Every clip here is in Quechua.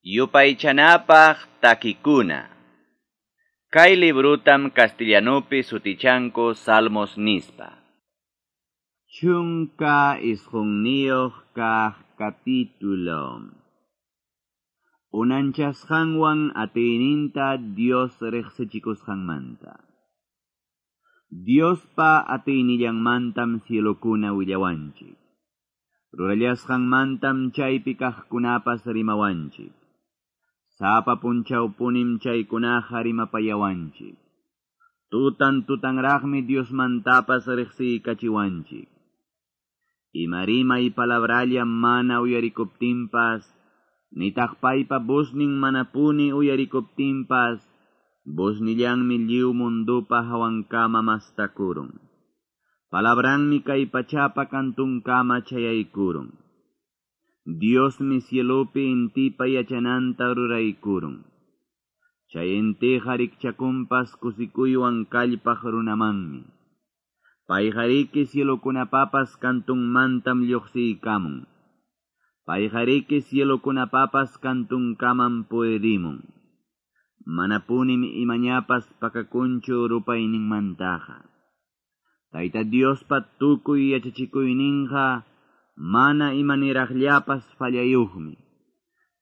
Yupaychanapaq takikuna. Kay librutam castellanupi sutichanku Salmos nispa. 19 kaq capítulo. Unanchasqanwan atiyninta Dios riqsichikusqanmanta. Diospa atiynillanmantam cielokuna willawanchik. Rurallasqanmantam chaypi kaqkunapas rimawanchik. Sapa punchawpunim chaykunaqa rimapayawanchik. Tutan tutanraqmi Diosmantapas riqsiykachiwanchik. Ima rimay palabralla mana uyarikuptinpas, nitaq paypa voznin manapuni uyarikuptinpas, voznillanmi lliw mundupa hawankama mastakurun. Palabranmi kay pachapa kantunkama chayaykurun. Diosmi cielopi intipa yachananta ruraykurun. Chay intiqa rikchakunpas kusikuywan kallpaq runamanmi. Payqariki cielokunapapas kantunmantam lluqsiykamun. Payqariki cielokunapapas kantunkaman puedimun. Manapunim imañapas pakakunchu rupayninmantaqa. Tayta Diospa tukuy yachachikuyninqa mana imaniraqllapas fallayuqmi.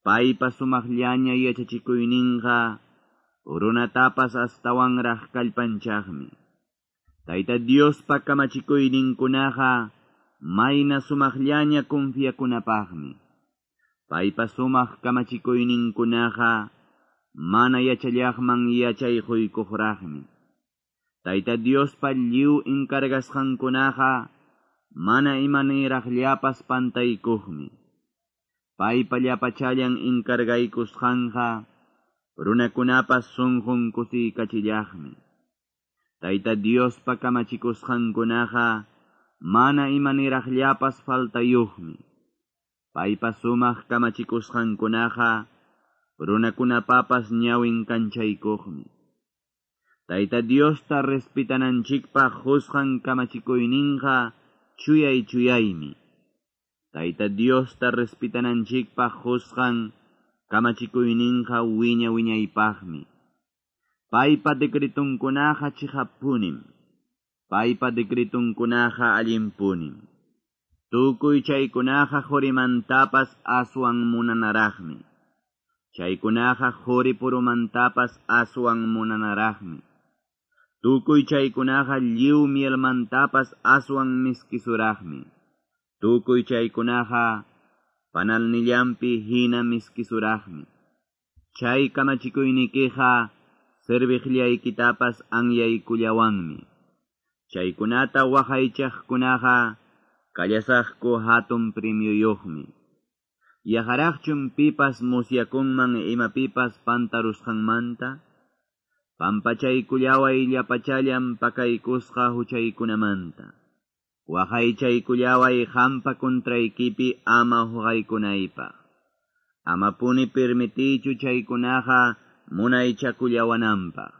Paypa sumaqllaña yachachikuyninqa runatapas astawanraq kallpanchaqmi. Tayta Diospa kamachikuyninkunaqa mayna sumaqllaña confiakunapaqmi. Paypa sumaq kamachikuyninkunaqa mana yachallaqman yachay quykuqraqmi. Tayta Diospa lliw encargasqankunaqa mana imaniraqllapas pantaykuqmi. Paypa llapachallan encargaykusqanqa runakunapas sunqun kusiykachillaqmi. Tayta Diospa kamachikusqankunaqa mana imaniraqllapas faltayuqmi. Paypa sumaq kamachikusqankunaqa runakunapapas ñawin kanchaykuqmi. Tayta Diosta respetananchikpaq qusqan kamachikuyninqa chuyay chuyaymi. Tayta Diosta respetananchikpaq qusqan kamachikuyninqa wiña wiñaypaqmi. Paypa decretunkunaqa chiqappunim. Paypa decretunkunaqa allinpunim. Tukuy chaykunaqa qurimantapas aswan munanaraqmi. Chaykunaqa quri purumantapas aswan munanaraqmi. Tukuy chaykunaqa lliw mielmantapas aswan miskisuraqmi. Tukuy chaykunaqa panalnillanpi hina miskisuraqmi. Chay kamachikuynikiqa serviqllaykitapas anyaykullawanmi. Chaykunata waqaychaqkunaqa kallasaqku hatun premioyuqmi. Yaqaraqchum pipas musyakunman imapipas pantarusqanmanta? Pampachaykullaway llapachallan pakaykusqa huchaykunamanta. Waqaychaykullaway qampa contraykipi ama huqaykunaypaq. Amapuni permitiychu chaykunaqa munaychakullawananpaq.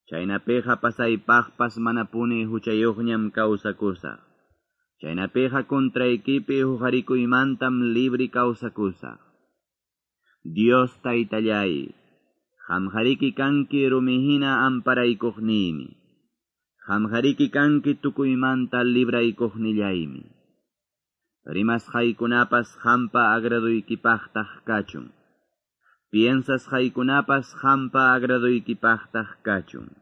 Chaynapiqa pasaypaqpas manapuni huchayuqñam kawsakusaq. Chaynapiqa contraykipi huqarikuymantam libri kawsakusaq. Dios taytallay, qamqariki kanki rumihina amparaykuqniymi. Qamqariki kanki tukuymanta libraykuqnillaymi. Rimasqaykunapas qampa agraduykipaqtaq kachun. Piensasqaykunapas qampa agraduykipaqtaq kachun.